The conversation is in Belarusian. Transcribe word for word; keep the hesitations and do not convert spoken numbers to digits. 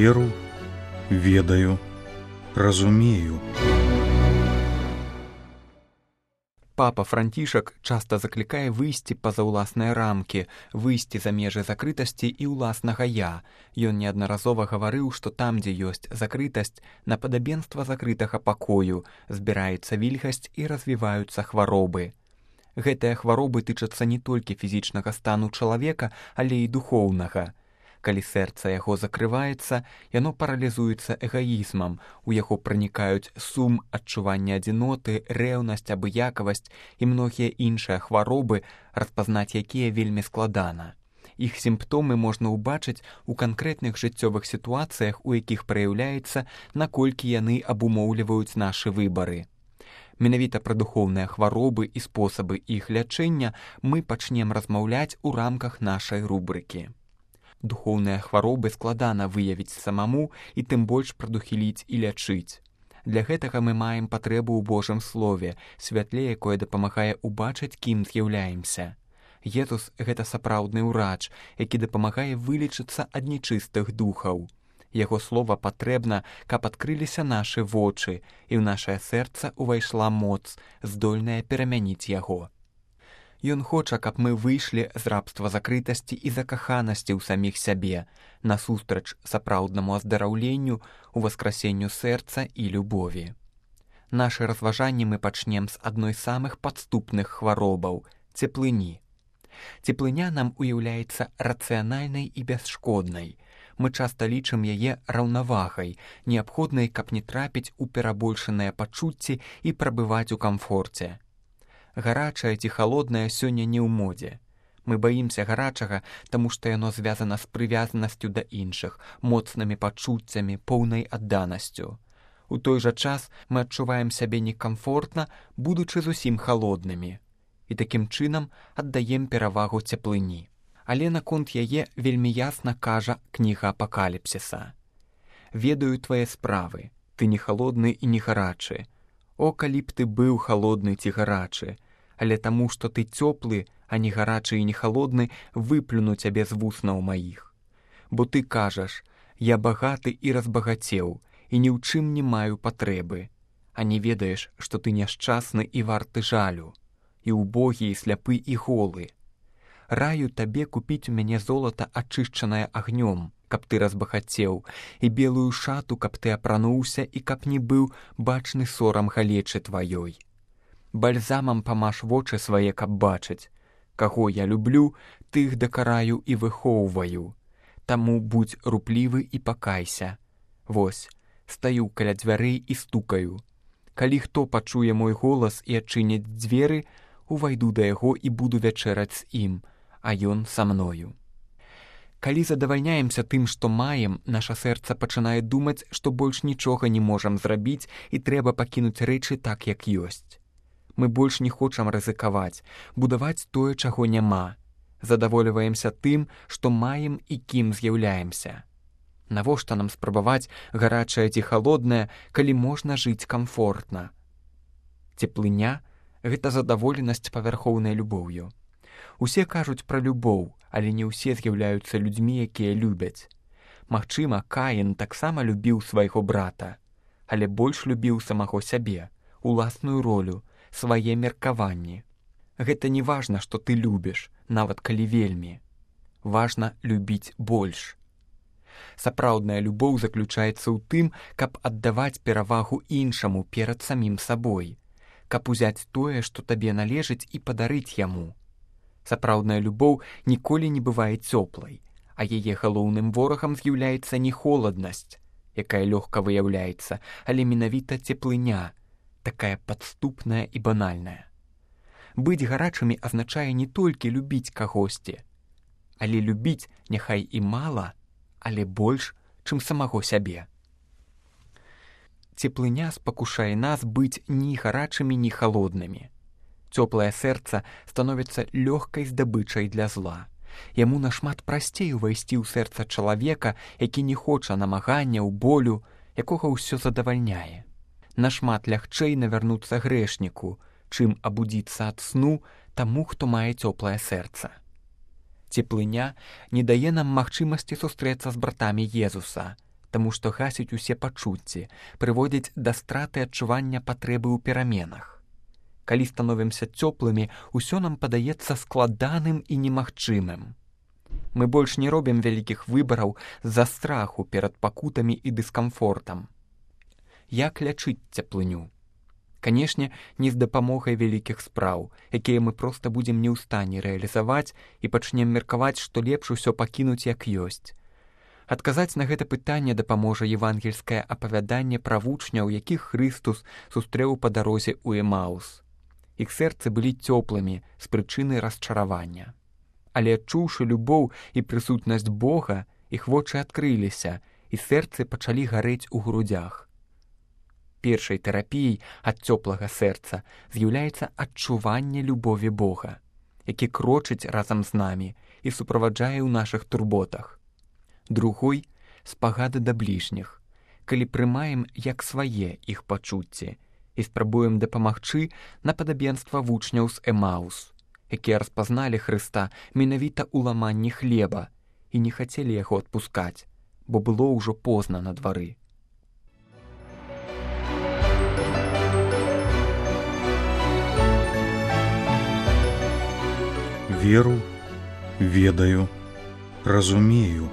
веру, ведаю, разумею. Папа Францішак часта заклікае выйсці па-за ўласныя рамкі, выйсці за межы закрытасці і ўласнага «я». Ён неаднаразова гаварыў, што там, дзе ёсць закрытасць, на падабенства закрытага пакою збіраецца вільгасць і развіваюцца хваробы. Гэтыя хваробы тычацца не толькі фізічнага стану чалавека, але і духоўнага. Калі сэрца яго закрываецца, яно паралізуецца эгаізмам, у яго пранікаюць сум, адчуванне адзіноты, рэўнасць, абыякавасць і многія іншыя хваробы, распазнаць якія вельмі складана. Іх сімптомы можна ўбачыць у канкрэтных жыццёвых сітуацыях, у якіх праяўляецца, наколькі яны абумоўліваюць нашы выбары. Менавіта пра духоўныя хваробы і спосабы іх лячэння мы пачнем размаўляць у рамках нашай рубрыкі. Духоўныя хваробы складана выявіць самому і тым больш прадухіліць і лячыць. Для гэтага мы маем патрэбу ў Божым слове, святле, якое дапамагае ўбачыць, кім з'яўляемся. Езус — гэта сапраўдны ўрач, які дапамагае вылечыцца ад нечыстых духаў. Яго слова патрэбна, каб адкрыліся нашы вочы, і ў нашае сэрца ўвайшла моц, здольная перамяніць яго. Ён хоча, каб мы выйшлі з рабства закрытасці і закаханасці ў саміх сябе, насустрач сапраўднаму аздараўленню, уваскрасенню сэрца і любові. Нашы разважанні мы пачнем з адной з самых падступных хваробаў — цеплыні. Цеплыня нам уяўляецца рацыянальнай і бясшкоднай. Мы часта лічым яе раўнавагай, неабходнай, каб не трапіць у перабольшаныя пачуцці і прабываць у камфорце. Гарачае ці халоднае сёння не ў модзе. Мы баімся гарачага, таму што яно звязана з прывязанасцю да іншых, моцнымі пачуццямі, поўнай адданасцю. У той жа час мы адчуваем сябе некамфортна, будучы зусім халоднымі. І такім чынам аддаем перавагу цеплыні. Але наконт яе вельмі ясна кажа кніга Апакаліпсіса. «Ведаю твае справы, ты не халодны і не гарачы. О, калі б ты быў халодны ці гарачы, але таму, што ты цёплы, а не гарачы і не халодны, выплюну цябе з вуснаў маіх. Бо ты кажаш, я багаты і разбагацеў, і ні ў чым не маю патрэбы, а не ведаеш, што ты няшчасны і варты жалю, і ўбогі, і сляпы, і голы. Раю табе купіць у мяне золата, ачышчанае агнём, каб ты разбагацеў, і белую шату, каб ты апрануўся, і каб не быў бачны сорам галечы тваёй. Бальзамам памаш вочы свае, каб бачыць. Каго я люблю, тых дакараю і выхоўваю. Таму будзь руплівы і пакайся. Вось, стаю каля дзвярэй і стукаю. Калі хто пачуе мой голас і адчыніць дзверы, увайду да яго і буду вячэраць з ім, а ён са мною». Калі задавальняемся тым, што маем, наша сэрца пачынае думаць, што больш нічога не можам зрабіць і трэба пакінуць рэчы так, як ёсць. Мы больш не хочам рызыкаваць, будаваць тое, чаго няма. Задавольваемся тым, што маем і кім з'яўляемся. Навошта нам спрабаваць гарачае ці халоднае, калі можна жыць камфортна? Цеплыня — гэта задаволенасць павярхоўнай любоўю. Усе кажуць пра любоў, але не ўсе з'яўляюцца людзьмі, якія любяць. Магчыма, Каін таксама любіў свайго брата, але больш любіў самаго сябе, уласную ролю, свае меркаванні. Гэта не важна, што ты любіш, нават калі вельмі. Важна любіць больш. Сапраўдная любоў заключаецца ў тым, каб аддаваць перавагу іншаму перад самім сабой, каб узяць тое, што табе належыць, і падарыць яму. Сапраўдная любоў ніколі не бывае цёплай, а яе галоўным ворагам з'яўляецца не холаднасць, якая лёгка выяўляецца, але менавіта цеплыня, такая падступная і банальная. Быць гарачымі азначае не толькі любіць кагосьці, але любіць няхай і мала, але больш, чым самаго сябе. Цеплыня спакушае нас быць ні гарачымі, ні халоднымі. Цёплае сэрца становіцца лёгкай здабычай для зла. Яму нашмат прасцей увайсці ў сэрца чалавека, які не хоча намаганняў, болю, якога ўсё задавальняе. Нашмат лягчэй навярнуцца грэшніку, чым абудзіцца ад сну таму, хто мае цёплае сэрца. Цеплыня не дае нам магчымасці сустрэцца з братамі Езуса, таму што гасіць усе пачуцці, прыводзіць да страты адчування патрэбы ў пераменах. Калі становімся цёплымі, усё нам падаецца складаным і немагчымым. Мы больш не робім вялікіх выбараў з-за страху перад пакутамі і дыскамфортам. Як лячыць цеплыню? Канешне, не з дапамогай вялікіх спраў, якія мы проста будзем не ў стане рэалізаваць і пачнем меркаваць, што лепш усё пакінуць як ёсць. Адказаць на гэта пытанне дапаможа евангельскае апавяданне пра вучняў, якіх Хрыстус сустрэў па дарозе ў Эмаус. Іх сэрцы былі цёплымі з прычыны расчаравання. Але адчуўшы любоў і прысутнасць Бога, іх вочы адкрыліся, і сэрцы пачалі гарэць у грудзях. Першай тэрапіяй ад цёплага сэрца з'яўляецца адчуванне любові Бога, які крочыць разам з намі і суправаджае ў нашых турботах. Другой — спагады да бліжніх, калі прымаем як свае іх пачуцці і спрабуем дапамагчы на падабенства вучняў з Эмаус, якія распазналі Хрыста менавіта ў ламанні хлеба і не хацелі яго адпускаць, бо было ўжо позна на двары. Веру, ведаю, разумею.